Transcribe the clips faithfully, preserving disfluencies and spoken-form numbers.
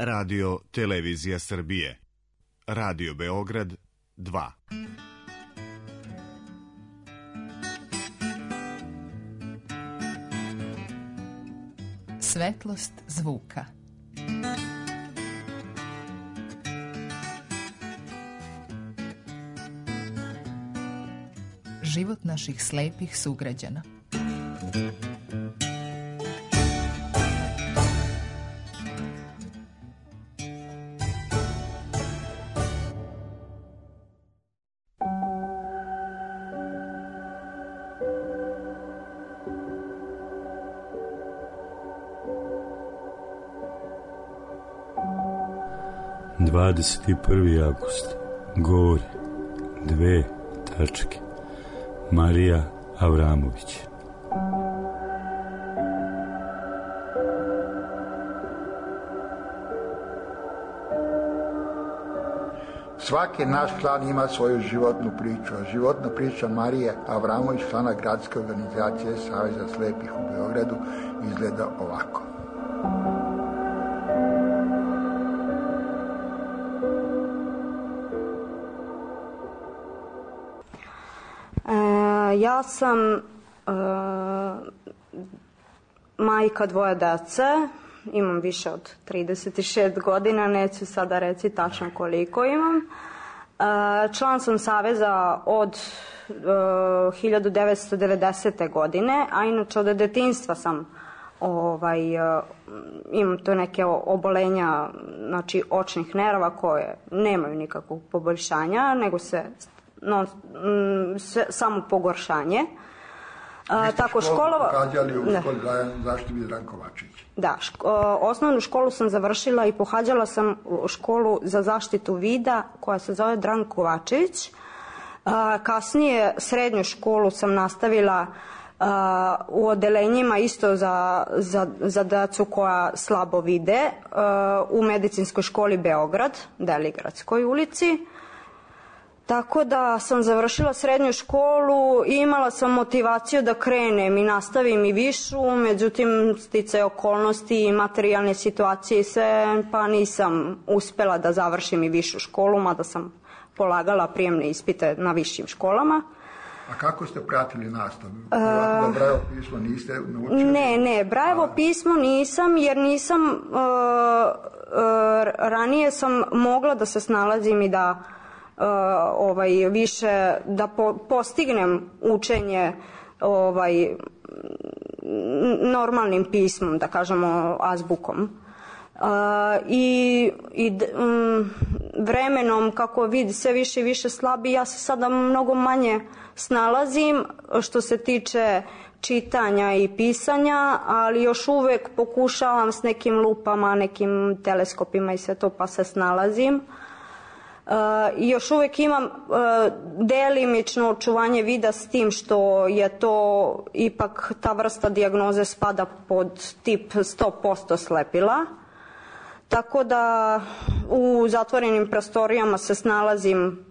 Radio Televizija Srbije. Radio Beograd dva. Svetlost zvuka. Život naših slepih sugrađana. dvadeset prvi avgust. Govori dve tačke. Marija Avramović. Svaki naš klan ima svoju životnu priču, a životna priča Marije Avramović, člana gradske organizacije Saveza slepih u Beogradu, izgleda ovako. Ja sam e, majka dvoje dece, imam više od trideset šest godina, neću sada reći tačno koliko imam. E, član sam Saveza od e, hiljadu devetsto devedesete. godine, a inače od detinjstva sam ovaj, e, imam to neke obolenja, znači očnih nerava koje nemaju nikakvog poboljšanja, nego se No, m, se, samo pogoršanje. A, tako školu pohađali u školi zaštiti Vidran Kovačić. Da, ško, osnovnu školu sam završila i pohađala sam školu za zaštitu vida koja se zove Dran Kovačević. A, kasnije srednju školu sam nastavila a, u odelenjima isto za, za, za decu koja slabo vide a, u medicinskoj školi Beograd, Deligradskoj ulici. Tako da sam završila srednju školu i imala sam motivaciju da krenem i nastavim i višu, međutim sticaje okolnosti i materijalne situacije i sve, pa nisam uspela da završim i višu školu, mada sam polagala prijemne ispite na višim školama. A kako ste pratili nastavu? Da Brajevo pismo niste naučili? Ne, ne, Brajevo pismo nisam, jer nisam, uh, uh, ranije sam mogla da se snalazim i da Uh, ovaj, više da po, postignem učenje ovaj, normalnim pismom, da kažemo azbukom. Uh, i i um, vremenom kako vidi sve više i više slabi, ja se sada mnogo manje snalazim što se tiče čitanja i pisanja, ali još uvek pokušavam s nekim lupama, nekim teleskopima i sve to, pa se snalazim. I uh, još uvek imam uh, delimično očuvanje vida, s tim što je to ipak ta vrsta dijagnoze spada pod tip sto posto slepila. Tako da u zatvorenim prostorijama se snalazim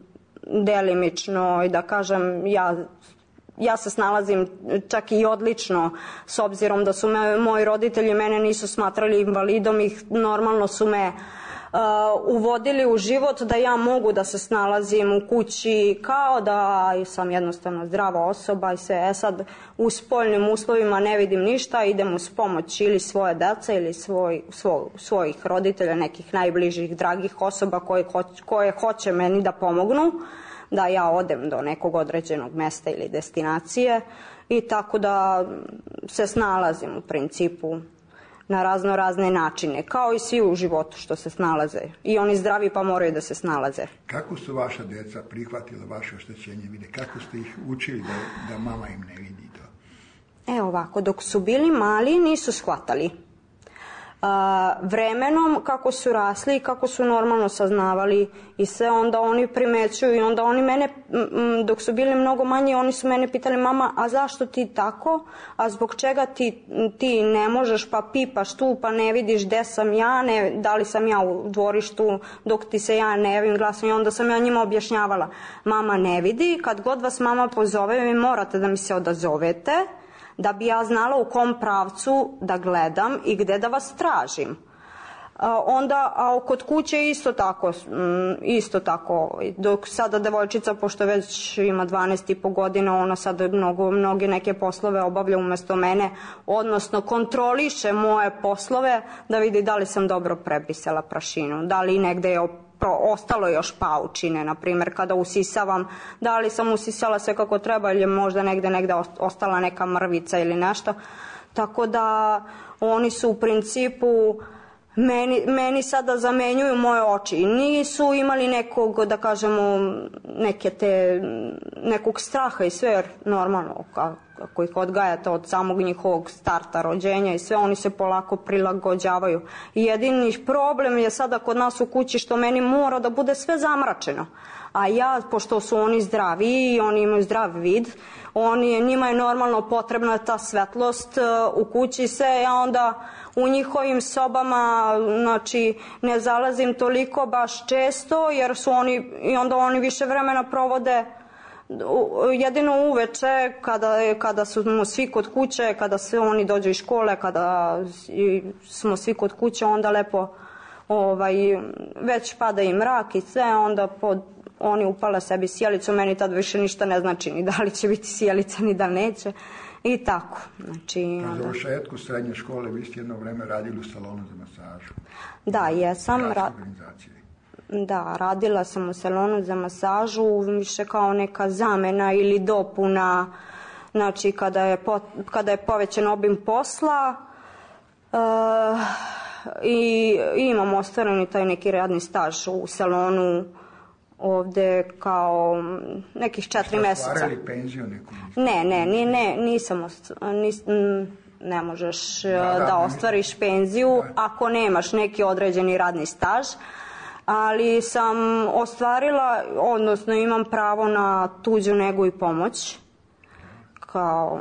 delimično i da kažem ja, ja se snalazim čak i odlično, s obzirom da su me, moji roditelji mene nisu smatrali invalidom i normalno su me Uh, uvodili u život da ja mogu da se snalazim u kući kao da sam jednostavno zdrava osoba i sve. E sad u spoljnim uslovima ne vidim ništa, idem uz pomoć ili svoje dece ili svoj, svoj, svojih roditelja, nekih najbližih dragih osoba koje, koje hoće meni da pomognu da ja odem do nekog određenog mesta ili destinacije, i tako da se snalazim u principu na razno razne načine, kao i svi u životu što se snalaze. I oni zdravi pa moraju da se snalaze. Kako su vaša deca prihvatila vaše oštećenje vide? Kako ste ih učili da, da mama im ne vidi to? E ovako, dok su bili mali nisu shvatali. Uh, vremenom kako su rasli i kako su normalno saznavali i sve, onda oni primećuju i onda oni mene, m, dok su bili mnogo manji, oni su mene pitali: mama, a zašto ti tako, a zbog čega ti, ti ne možeš, pa pipaš tu, pa ne vidiš gde sam ja, ne, da li sam ja u dvorištu dok ti se ja ne javim glasom. I onda sam ja njima objašnjavala: mama ne vidi, kad god vas mama pozove vi morate da mi se odazovete, da bi ja znala u kom pravcu da gledam i gde da vas tražim. Uh, A onda, a kod kuće isto tako, isto tako, dok sada devojčica, pošto već ima dvanaest i po godina, ona sada mnogo, mnoge neke poslove obavlja umesto mene, odnosno kontroliše moje poslove da vidi da li sam dobro prebrisala prašinu, da li negde je ostalo još paučine, na primjer kada usisavam, da li sam usisala sve kako treba ili je možda negde, negde ostala neka mrvica ili nešto, tako da oni su u principu Meni, meni sada zamenjuju moje oči. Nisu imali nekog, da kažemo, neke te, nekog straha i sve, jer normalno, kako ih odgajate od samog njihovog starta, rođenja i sve, oni se polako prilagođavaju. Jedini problem je sada kod nas u kući što meni mora da bude sve zamračeno. A ja, pošto su oni zdravi i oni imaju zdrav vid, oni, njima je normalno potrebna ta svetlost u kući sve, ja onda u njihovim sobama, znači, ne zalazim toliko baš često, jer su oni, i onda oni više vremena provode jedino uveče, kada, kada smo svi kod kuće, kada se oni dođu iz škole, kada smo svi kod kuće, onda lepo ovaj, već pada i mrak i sve, onda pod oni upale sebi sjelicu, meni tad više ništa ne znači ni da li će biti sjelica ni da neće i tako. Znači, na završetku srednje škole vi ste jedno vreme radili u salonu za masažu. Da, jesam. Ra... Da, radila sam u salonu za masažu, više kao neka zamena ili dopuna, znači kada je, po... kada je povećan obim posla uh, i imam ostvareni taj neki radni staž u salonu ovde kao nekih četiri meseca. Šta ostvarili penziju neku? Ne, ne, ne, ne, nisam, nis, ne možeš da, da, da ostvariš penziju da. Ako nemaš neki određeni radni staž, ali sam ostvarila, odnosno imam pravo na tuđu negu i pomoć kao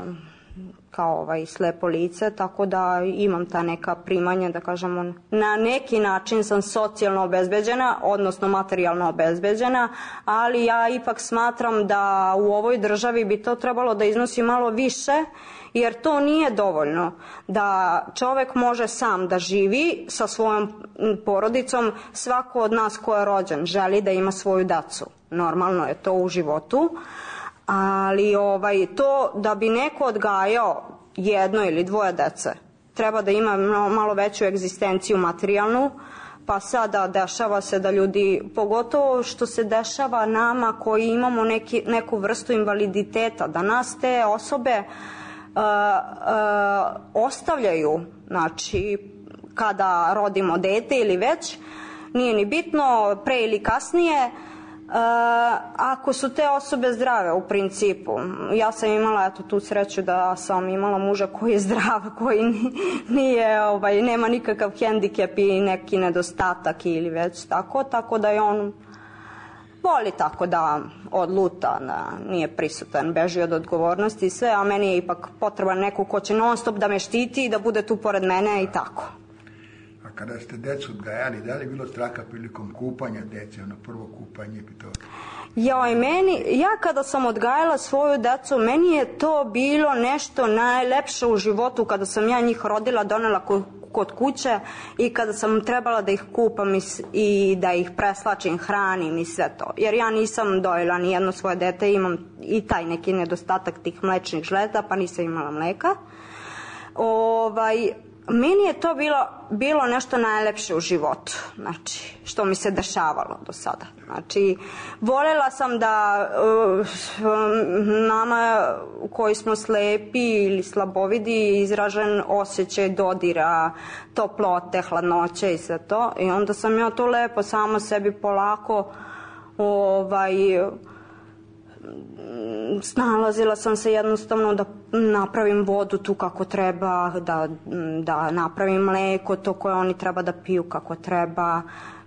kao ovaj slepo lice, tako da imam ta neka primanja, da kažemo, na neki način sam socijalno obezbeđena, odnosno materijalno obezbeđena, ali ja ipak smatram da u ovoj državi bi to trebalo da iznosi malo više, jer to nije dovoljno da čovek može sam da živi sa svojom porodicom. Svako od nas ko je rođen želi da ima svoju decu, normalno je to u životu, ali ovaj, to da bi neko odgajao jedno ili dvoje dece, treba da ima malo veću egzistenciju materijalnu, pa sada dešava se da ljudi, pogotovo što se dešava nama koji imamo neki, neku vrstu invaliditeta, da nas te osobe uh, uh, ostavljaju, znači kada rodimo dete ili već, nije ni bitno, pre ili kasnije, Uh, ako su te osobe zdrave u principu. Ja sam imala eto, tu sreću da sam imala muža koji je zdrav, koji nije, ovaj, nema nikakav hendikep i neki nedostatak ili već tako, tako da je on voli tako da odluta, da nije prisutan, beži od odgovornosti i sve, a meni je ipak potreban neko ko će non stop da me štiti i da bude tu pored mene i tako. Kada ste decu odgajali, da li je bilo straha prilikom kupanja dece, ono prvo kupanje i to? Joj, meni, ja kada sam odgajala svoju decu, meni je to bilo nešto najlepše u životu, kada sam ja njih rodila, donela kod, kod kuće i kada sam trebala da ih kupam i, i da ih preslačim, hranim i sve to. Jer ja nisam dojela ni jedno svoje dete, imam i taj neki nedostatak tih mlečnih žlezda, pa nisam imala mleka. Ovaj... Meni je to bilo, bilo nešto najlepše u životu, znači, što mi se dešavalo do sada. Znači, voljela sam da uh, nama koji smo slepi ili slabovidi izražen osjećaj dodira, toplote, hladnoće i sve to. I onda sam ja to lepo sama sebi polako ovaj... snalazila sam se jednostavno da napravim vodu tu kako treba, da, da napravim mleko, to koje oni treba da piju kako treba.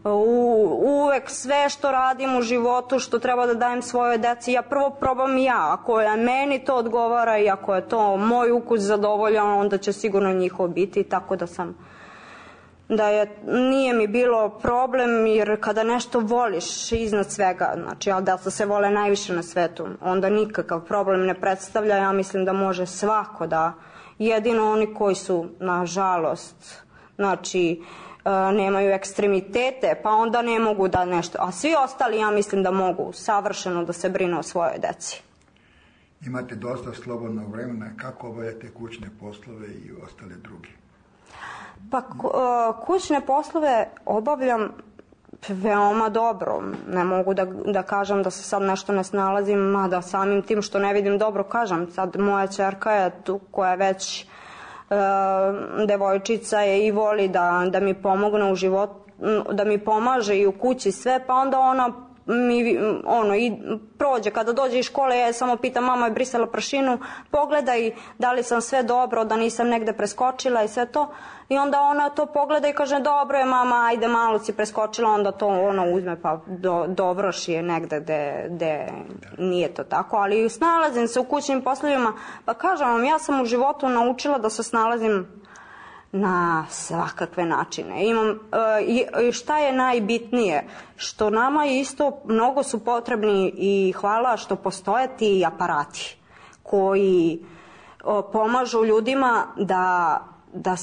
U, uvek sve što radim u životu, što treba da dajem svojoj deci, ja prvo probam ja. Ako je meni to odgovara i ako je to moj ukus zadovoljan, onda će sigurno njihov biti, tako da sam da je, nije mi bilo problem, jer kada nešto voliš iznad svega, znači, ali da se vole najviše na svetu, onda nikakav problem ne predstavlja. Ja mislim da može svako da, jedino oni koji su, nažalost, znači, nemaju ekstremitete, pa onda ne mogu da nešto, a svi ostali ja mislim da mogu savršeno da se brinu o svojoj deci. Imate dosta slobodnog vremena, kako obavljate kućne poslove i ostale druge? Pa kućne poslove obavljam veoma dobro. Ne mogu da, da kažem da se sad nešto ne snalazim, mada samim tim što ne vidim dobro kažem. Sad moja ćerka je tu koja je već e, devojčica je i voli da, da mi pomogne u životu, da mi pomaže i u kući sve, pa onda ona mi ono i prođe kada dođe iz škole, ja samo pitam mama je brisala prašinu, pogledaj da li sam sve dobro, da nisam negde preskočila i sve to, i onda ona to pogleda i kaže dobro je mama, ajde malo si preskočila, onda to ona uzme pa do, dovrši je negde gde, gde nije to tako, ali snalazim se u kućnim poslovima, pa kažem vam, ja sam u životu naučila da se snalazim na svakakve načine. Imam, e, šta je najbitnije? Što nama isto mnogo su potrebni i hvala što postoje ti aparati koji o, pomažu ljudima da, da,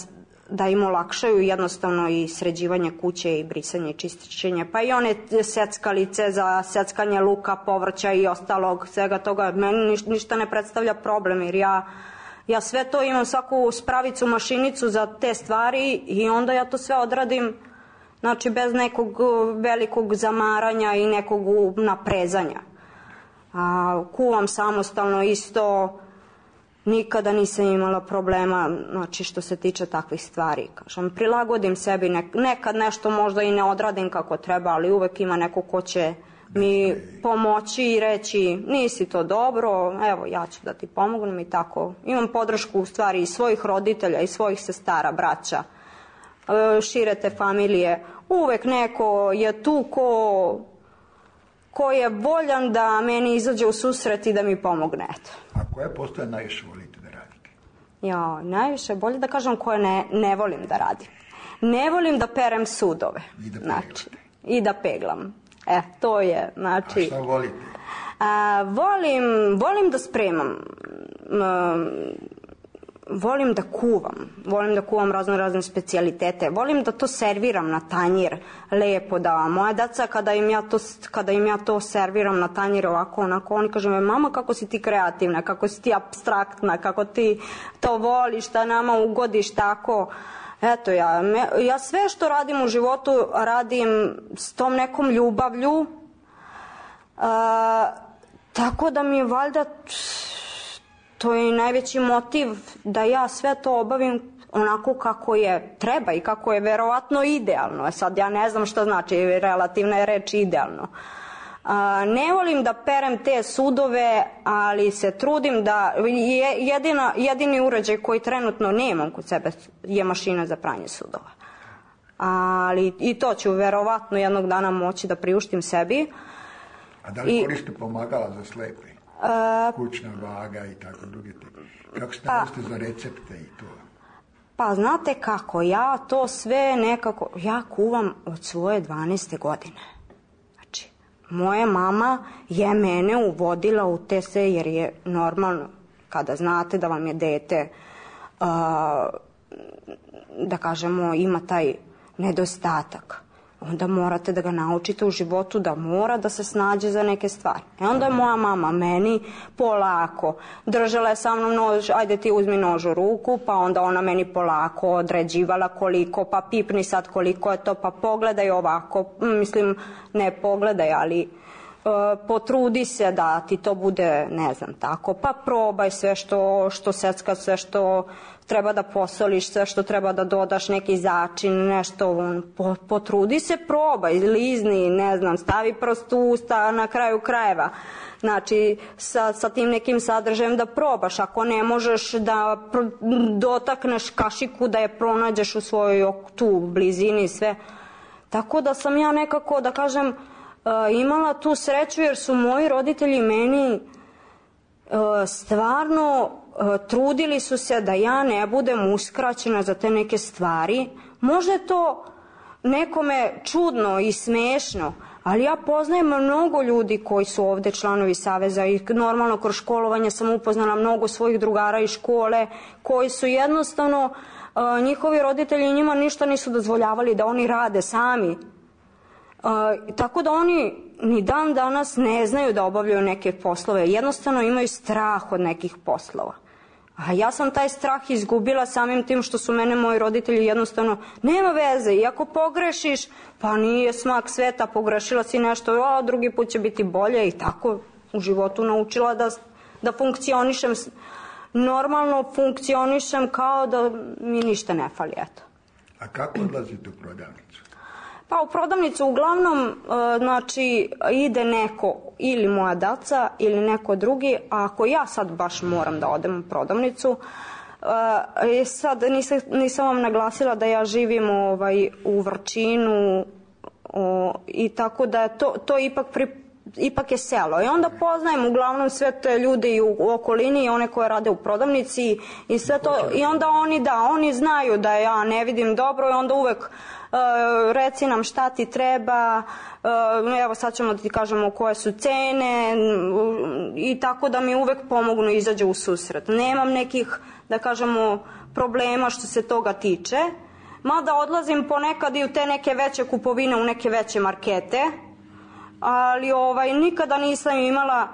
da im olakšaju jednostavno i sređivanje kuće i brisanje i čišćenje. Pa i one seckalice za seckanje luka, povrća i ostalog, svega toga. Meni ništa ne predstavlja problem jer ja Ja sve to imam, svaku spravicu, mašinicu za te stvari i onda ja to sve odradim, znači bez nekog velikog zamaranja i nekog naprezanja. A, kuvam samostalno isto, nikada nisam imala problema, znači što se tiče takvih stvari. Kažem, prilagodim sebi, nekad nešto možda i ne odradim kako treba, ali uvek ima neko ko će mi pomoći i reći nisi to dobro, evo ja ću da ti pomognem i tako. Imam podršku u stvari i svojih roditelja i svojih sestara, braća, šire te familije. Uvek neko je tu ko, ko je voljan da meni izađe u susret i da mi pomogne. Eto. A koje postoje najviše volite da radite? Ja, najviše, bolje da kažem koje ne, ne volim da radim. Ne volim da perem sudove. I da znači, i da peglam. E, to je, znači... A šta volite? A, volim, volim da spremam, a, volim da kuvam, volim da kuvam razno razne specijalitete, volim da to serviram na tanjir, lepo da moja deca kada im ja to, kada im ja to serviram na tanjir ovako, onako, oni kažu me, mama kako si ti kreativna, kako si ti apstraktna, kako ti to voliš, da nama ugodiš tako... Eto, ja, ja sve što radim u životu radim s tom nekom ljubavlju, a, tako da mi je valjda to je i najveći motiv da ja sve to obavim onako kako je treba i kako je verovatno idealno. Sad ja ne znam šta znači, relativna je reč idealno. A, ne volim da perem te sudove, ali se trudim da jedina, jedini uređaj koji trenutno nemam kod sebe je mašina za pranje sudova. Ali i to ću verovatno jednog dana moći da priuštim sebi. A da li I, koriste pomagala za slepe? A, kućna vaga i tako druge te. Kako ste pa, za recepte i to? Pa znate kako, ja to sve nekako, ja kuvam od svoje dvanaeste godine. Moja mama je mene uvodila u te sve jer je normalno kada znate da vam je dete, uh, da kažemo, ima taj nedostatak. Onda morate da ga naučite u životu da mora da se snađe za neke stvari. E onda je moja mama meni polako držala je sa mnom nož, ajde ti uzmi nož u ruku, pa onda ona meni polako određivala koliko, pa pipni sad koliko je to, pa pogledaj ovako, mislim ne pogledaj, ali uh, potrudi se da ti to bude, ne znam, tako, pa probaj sve što, što secka, sve što treba da posoliš, sve što treba da dodaš, neki začin, nešto, po, potrudi se, probaj, lizni, ne znam, stavi prst u usta na kraju krajeva. Znači, sa, sa tim nekim sadržajem da probaš, ako ne možeš da pr dotakneš kašiku, da je pronađeš u svojoj tu blizini, sve. Tako da sam ja nekako, da kažem, uh, imala tu sreću jer su moji roditelji meni uh, stvarno trudili su se da ja ne budem uskraćena za te neke stvari. Možda je to nekome čudno i smešno, ali ja poznajem mnogo ljudi koji su ovde članovi Saveza i normalno kroz školovanje sam upoznala mnogo svojih drugara iz škole koji su jednostavno njihovi roditelji njima ništa nisu dozvoljavali da oni rade sami. Tako da oni ni dan danas ne znaju da obavljaju neke poslove. Jednostavno imaju strah od nekih poslova. A ja sam taj strah izgubila samim tim što su mene moji roditelji jednostavno, nema veze, i ako pogrešiš, pa nije smak sveta, pogrešila si nešto, a drugi put će biti bolje, i tako u životu naučila da, da funkcionišem, normalno funkcionišem kao da mi ništa ne fali, eto. A kako odlazite u prodavnicu? Pa u prodavnicu uglavnom, znači, ide neko, ili moja daca, ili neko drugi, a ako ja sad baš moram da odem u prodavnicu, e, sad nisam, nisam vam naglasila da ja živim ovaj, u Vrčinu, o, i tako da to, to ipak, pri, ipak je selo. I onda poznajem uglavnom sve te ljude i u, u okolini, i one koje rade u prodavnici, i sve to, i onda oni, da, oni znaju da ja ne vidim dobro, i onda uvek Uh, reci nam šta ti treba, uh, evo sad ćemo da ti kažemo koje su cene, uh, i tako da mi uvek pomognu i izađe u susret. Nemam nekih, da kažemo, problema što se toga tiče, mada odlazim ponekad i u te neke veće kupovine, u neke veće markete, ali ovaj, nikada nisam imala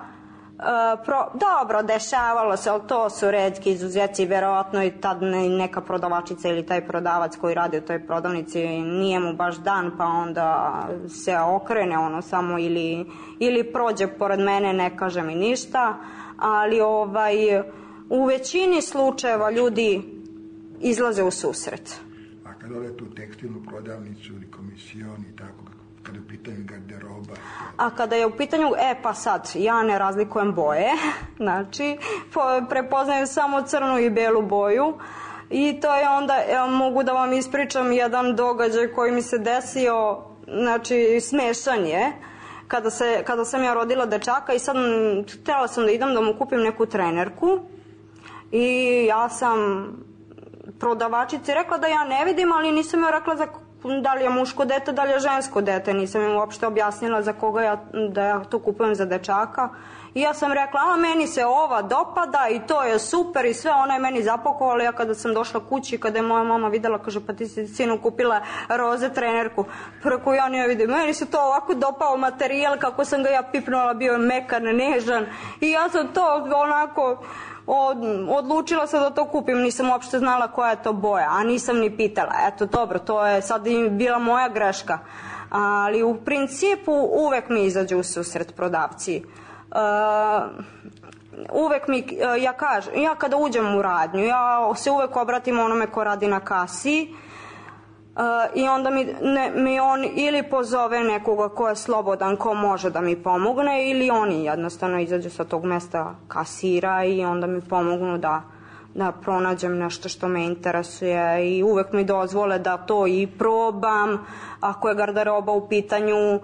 Uh, pro, dobro, dešavalo se, ali to su retki izuzeci, verovatno i tad ne, neka prodavačica ili taj prodavac koji radi u toj prodavnici nije mu baš dan, pa onda se okrene ono samo ili, ili prođe pored mene, ne kaže mi ništa, ali ovaj, u većini slučajeva ljudi izlaze u susret. A kad odete u tekstilnu prodavnicu ili komisijon i tako, kada je u pitanju garderoba? A kada je u pitanju, e pa sad, ja ne razlikujem boje, znači prepoznajem samo crnu i belu boju, i to je onda, ja mogu da vam ispričam jedan događaj koji mi se desio, znači smešan je, kada, se, kada sam ja rodila dečaka, i sad htjela sam da idem da mu kupim neku trenerku, i ja sam prodavačici rekla da ja ne vidim, ali nisam joj rekla za da li je muško dete, da li je žensko dete, nisam im uopšte objasnila za koga ja, da ja to kupujem za dečaka, i ja sam rekla, a meni se ova dopada i to je super i sve, ona je meni zapakovala. Ja kada sam došla kući, kada je moja mama videla, kaže, pa ti si sinu kupila roze trenerku, preko ja nije vidim, meni se to ovako dopao materijal, kako sam ga ja pipnula, bio je mekan, nežan, i ja sam to onako Od, odlučila sam da to kupim, nisam uopšte znala koja je to boja, a nisam ni pitala. Eto, dobro, to je sad i bila moja greška, ali u principu uvek mi izađu u susret prodavci. Uh, uvek mi, uh, ja kažem, ja kada uđem u radnju, ja se uvek obratim onome ko radi na kasi, Uh, i onda mi, ne, mi on ili pozove nekoga ko je slobodan, ko može da mi pomogne, ili oni jednostavno izađu sa tog mesta kasira i onda mi pomognu da, da pronađem nešto što me interesuje, i uvek mi dozvole da to i probam. Ako je garderoba u pitanju, uh,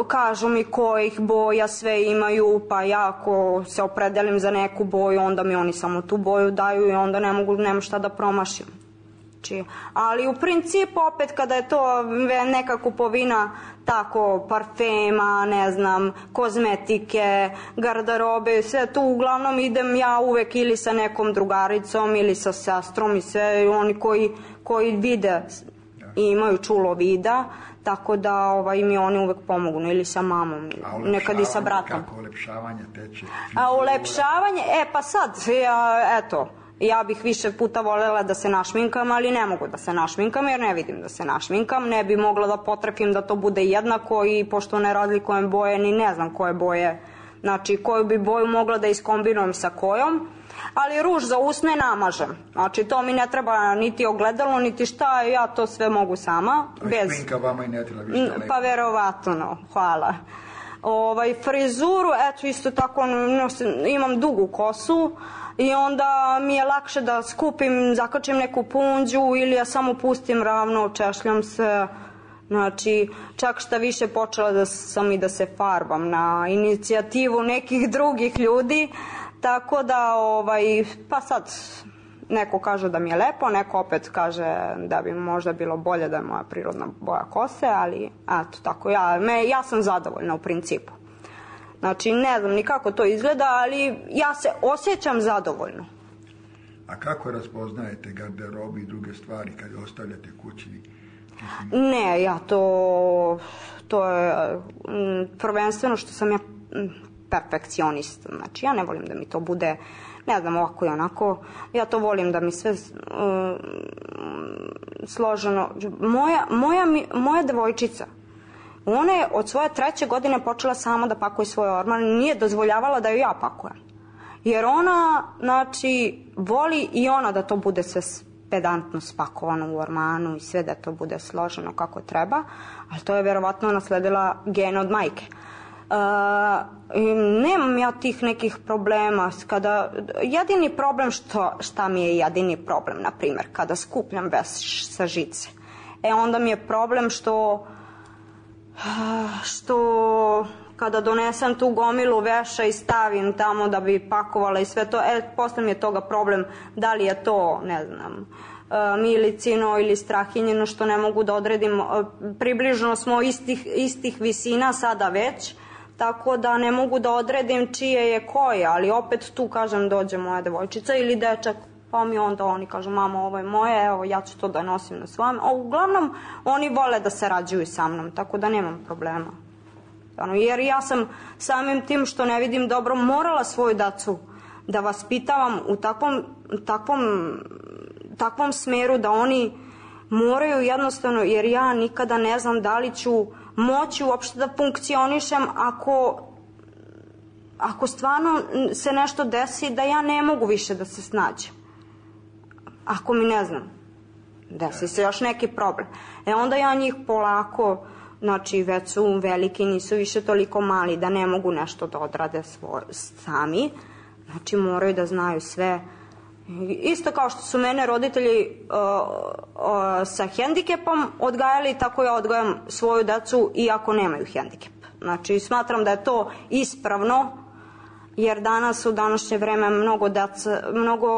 kažu mi kojih boja sve imaju, pa ja ako se opredelim za neku boju, onda mi oni samo tu boju daju i onda ne mogu, nema šta da promašim. Ali u principu opet kada je to neka kupovina tako parfema, ne znam, kozmetike, garderobe, sve tu uglavnom idem ja uvek ili sa nekom drugaricom ili sa sestrom, i sve oni koji, koji vide i imaju čulo vida, tako da ovaj, mi oni uvek pomognu, ili sa mamom, nekad i sa bratom. Kako ulepšavanje teče? A ulepšavanje, e pa sad, ja, eto, ja bih više puta voljela da se našminkam, ali ne mogu da se našminkam jer ne vidim da se našminkam. Ne bi mogla da potrefim da to bude jednako, i pošto ne razlikujem boje, ni ne znam koje boje, znači koju bi boju mogla da iskombinujem sa kojom. Ali ruž za usne namažem, znači to mi ne treba niti ogledalo, niti šta, ja to sve mogu sama. Bez... Šminka vama i ne treba više lepo. Pa verovatno, hvala. Ovaj, frizuru, eto isto tako, imam dugu kosu, i onda mi je lakše da skupim, zakačim neku punđu, ili ja samo pustim ravno, češljam se. Znači, čak šta više počela da sam i da se farbam na inicijativu nekih drugih ljudi, tako da, ovaj, pa sad, neko kaže da mi je lepo, neko opet kaže da bi možda bilo bolje da je moja prirodna boja kose, ali eto, tako, ja, me, ja sam zadovoljna u principu. Znači, ne znam ni kako to izgleda, ali ja se osjećam zadovoljno. A kako raspoznajete garderobu i druge stvari kad ostavljate kući? Ne, ja to, to je m, prvenstveno što sam ja m, perfekcionist. Znači, ja ne volim da mi to bude, ne znam, ovako i onako. Ja to volim da mi sve um, složeno. Moja, moja, moja devojčica, ona je od svoje treće godine počela sama da pakuje svoj orman, nije dozvoljavala da joj ja pakujem. Jer ona, znači, voli i ona da to bude sve pedantno spakovano u ormanu i sve da to bude složeno kako treba, ali to je verovatno nasledila gen od majke. Uh, nemam ja tih nekih problema. Kada, jedini problem, što, šta mi je jedini problem, na primjer, kada skupljam veš sa žice, e onda mi je problem što što kada donesem tu gomilu veša i stavim tamo da bi pakovala i sve to, e, posle mi je toga problem da li je to, ne znam, milicino ili strahinjeno, što ne mogu da odredim. Približno smo istih, istih visina sada već, tako da ne mogu da odredim čije je koje, ali opet tu, kažem, dođe moja devojčica ili dečak, pa mi onda oni kažu, mama, ovo je moje, evo, ja ću to da nosim na svom. A uglavnom, oni vole da sarađuju sa mnom, tako da nemam problema. Jer ja sam samim tim što ne vidim dobro morala svoju decu da vaspitavam u takvom, takvom, takvom smeru da oni moraju jednostavno, jer ja nikada ne znam da li ću moći uopšte da funkcionišem ako, ako stvarno se nešto desi da ja ne mogu više da se snađem. Ako mi, ne znam, desi se još neki problem. E onda ja njih polako, znači već su veliki, nisu više toliko mali da ne mogu nešto da odrade svoj, sami. Znači moraju da znaju sve. Isto kao što su mene roditelji uh, uh, sa hendikepom odgajali, tako ja odgajam svoju decu iako nemaju hendikep. Znači smatram da je to ispravno, jer danas u današnje vreme mnogo deca, mnogo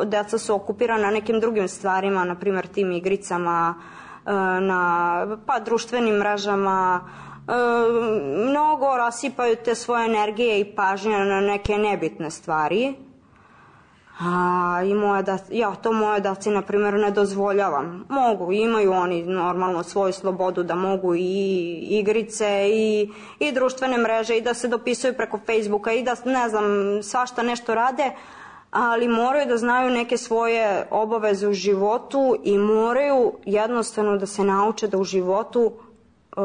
deca su okupirana nekim drugim stvarima, na primjer tim igricama, na pa društvenim mrežama, mnogo rasipaju te svoje energije i pažnje na neke nebitne stvari. A, i moja da, ja to moje daci, na primjer, ne dozvoljavam. Mogu, imaju oni normalno svoju slobodu da mogu i igrice i, i društvene mreže i da se dopisuju preko Facebooka i da, ne znam, svašta nešto rade, ali moraju da znaju neke svoje obaveze u životu i moraju jednostavno da se nauče da u životu uh,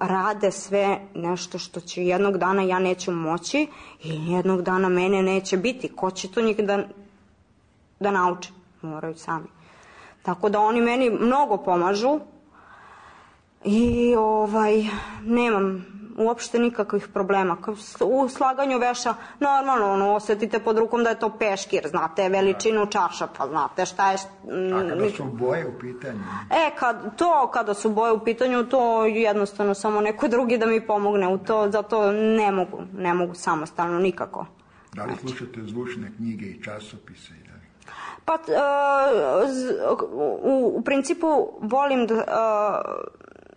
rade sve nešto što će jednog dana ja neću moći i jednog dana mene neće biti. Ko će to njih da, da nauče? Moraju sami. Tako da oni meni mnogo pomažu i ovaj, nemam uopšte nikakvih problema. U slaganju veša, normalno, ono, osetite pod rukom da je to peškir, znate veličinu čaša, pa znate šta je... A kada su boje u pitanju? E, kad, to, kada su boje u pitanju, to jednostavno samo neko drugi da mi pomogne u to, zato ne mogu, ne mogu samostalno nikako. Da li slušate zvučne knjige i časopise? Pa, uh, u, u principu volim da... Uh,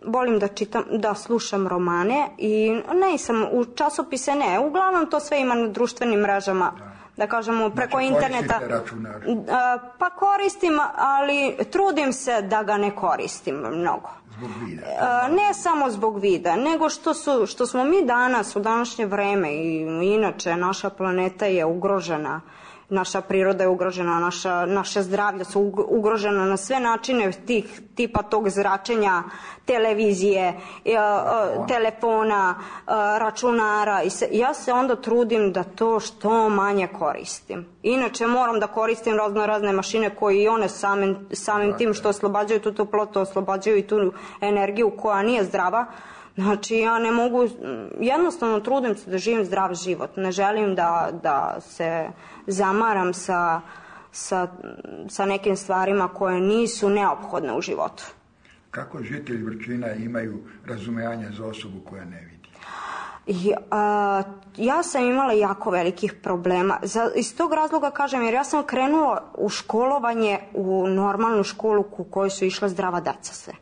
volim da čitam, da slušam romane i ne sam u časopise, ne, uglavnom to sve ima na društvenim mrežama, da, da kažemo preko znači, interneta. Računar. Pa koristim, ali trudim se da ga ne koristim mnogo. Zbog vida. Ne samo zbog vida, nego što, su, što smo mi danas u današnje vreme i inače naša planeta je ugrožena. Naša priroda je ugrožena, naša, naše zdravlje su ugrožena na sve načine tih, tipa tog zračenja, televizije, telefona, računara. I se, ja se onda trudim da to što manje koristim. Inače moram da koristim razno razne mašine koje i one samim, samim tim što oslobađaju tu toplotu, oslobađaju i tu energiju koja nije zdrava. Znači ja ne mogu, jednostavno trudim se da živim zdrav život. Ne želim da, da se zamaram sa, sa, sa nekim stvarima koje nisu neophodne u životu. Kako žitelji Vrčina imaju razumijanje za osobu koja ne vidi? I, a, ja sam imala jako velikih problema. Za, iz tog razloga kažem, jer ja sam krenula u školovanje u normalnu školu u kojoj su išla zdrava deca sve.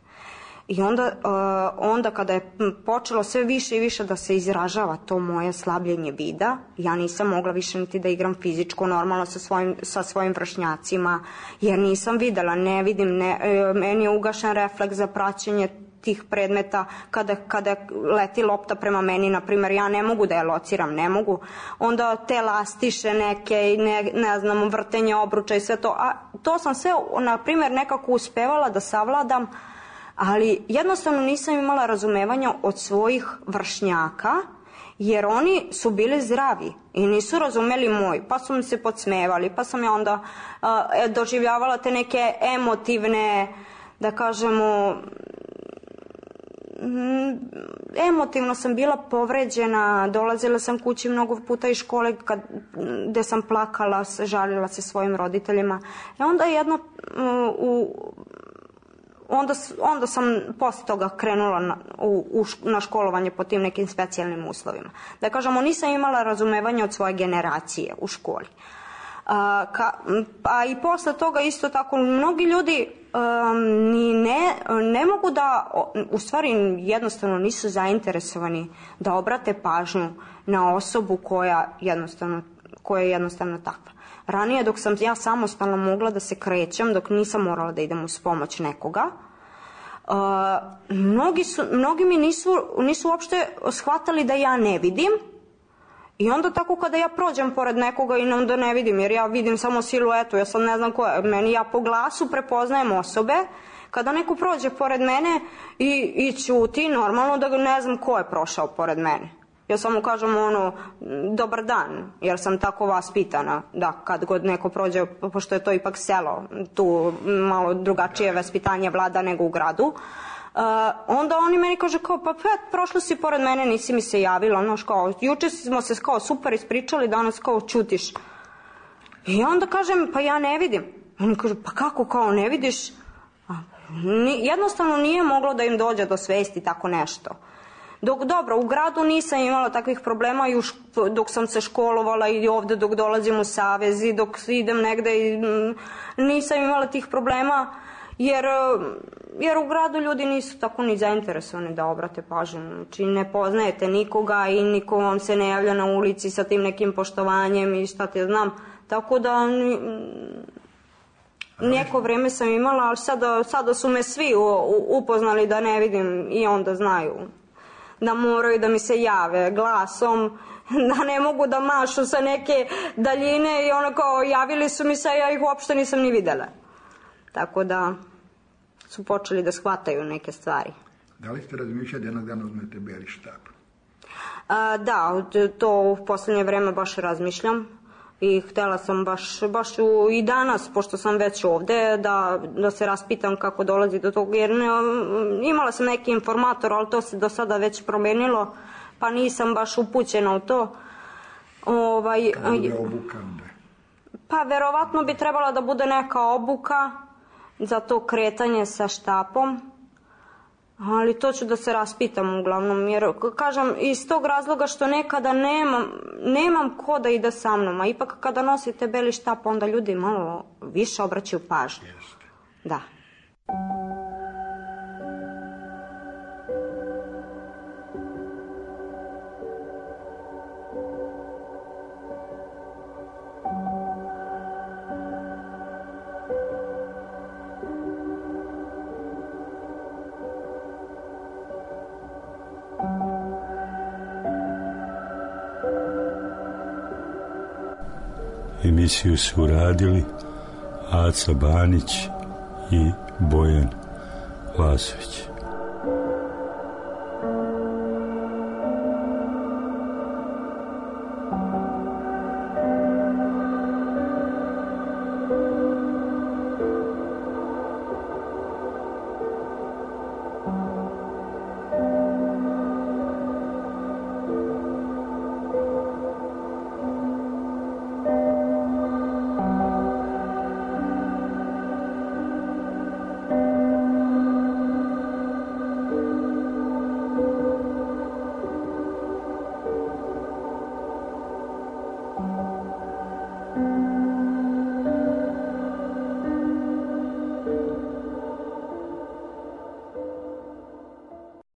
I onda, uh, onda kada je počelo sve više i više da se izražava to moje slabljenje vida, ja nisam mogla više niti da igram fizičko normalno sa svojim, sa svojim vršnjacima, jer nisam videla, ne vidim, ne, meni je ugašen refleks za praćenje tih predmeta, kada, kada leti lopta prema meni, na primjer, ja ne mogu da je lociram, ne mogu. Onda te lastiše neke i ne, ne znam, vrtenje obruča i sve to. A to sam sve, na primjer, nekako uspevala da savladam, ali jednostavno nisam imala razumevanja od svojih vršnjaka, jer oni su bili zdravi i nisu razumeli moj, pa su mi se podsmevali, pa sam ja onda uh, doživljavala te neke emotivne, da kažemo, emotivno sam bila povređena, dolazila sam kući mnogo puta iz škole kad, gde sam plakala, žalila se svojim roditeljima. I onda jedno u, onda, onda sam posle toga krenula na, u, u, na školovanje po tim nekim specijalnim uslovima. Da kažemo, nisam imala razumevanja od svoje generacije u školi. A, ka, a i posle toga isto tako mnogi ljudi um, ni ne, ne mogu da, u stvari jednostavno nisu zainteresovani da obrate pažnju na osobu koja jednostavno, koja je jednostavno takva. Ranije dok sam ja samostalno mogla da se krećem, dok nisam morala da idem uz pomoć nekoga, uh, mnogi, su, mnogi mi nisu, nisu uopšte shvatali da ja ne vidim. I onda tako kada ja prođem pored nekoga i onda ne vidim, jer ja vidim samo siluetu, ja sad ne znam ko je, meni ja po glasu prepoznajem osobe, kada neko prođe pored mene i, i ćuti, normalno da ne znam ko je prošao pored mene. Ja samo kažem ono, dobar dan, jer sam tako vaspitana, da kad god neko prođe, pošto je to ipak selo, tu malo drugačije vaspitanje vlada nego u gradu, Uh, onda oni meni kaže kao, pa pet, prošlo si pored mene, nisi mi se javila, ono kao, juče smo se kao super ispričali, danas kao čutiš. I onda kažem, pa ja ne vidim. Oni kaže, pa kako kao ne vidiš? A, ni, jednostavno nije moglo da im dođe do svesti tako nešto. Dok, dobro, u gradu nisam imala takvih problema i už, dok sam se školovala i ovde dok dolazim u savez i dok idem negde i m, nisam imala tih problema. Jer, jer u gradu ljudi nisu tako ni zainteresovani da obrate pažnju. Znači ne poznajete nikoga i niko vam se ne javlja na ulici sa tim nekim poštovanjem i šta te znam. Tako da neko vreme sam imala, ali sada, sada su me svi upoznali da ne vidim i onda znaju da moraju da mi se jave glasom, da ne mogu da mašu sa neke daljine i ono kao javili su mi se, ja ih uopšte nisam ni videla. Tako da su počeli da shvataju neke stvari. Da li ste razmišljali da jednog dana uzmete beli štab? A, da, to u poslednje vreme baš razmišljam i htela sam baš, baš u, i danas, pošto sam već ovde, da, da se raspitam kako dolazi do toga, jer ne, imala sam neki informator, ali to se do sada već promenilo, pa nisam baš upućena u to. Ovaj, Kada je obuka onda? Pa verovatno bi trebala da bude neka obuka za to kretanje sa štapom, ali to ću da se raspitam uglavnom, jer kažem iz tog razloga što nekada nemam, nemam ko da ide sa mnom, a ipak kada nosite beli štap onda ljudi malo više obraćaju pažnju. Jeste. Da. Emisiju su uradili Aca Banić i Bojan Lasović.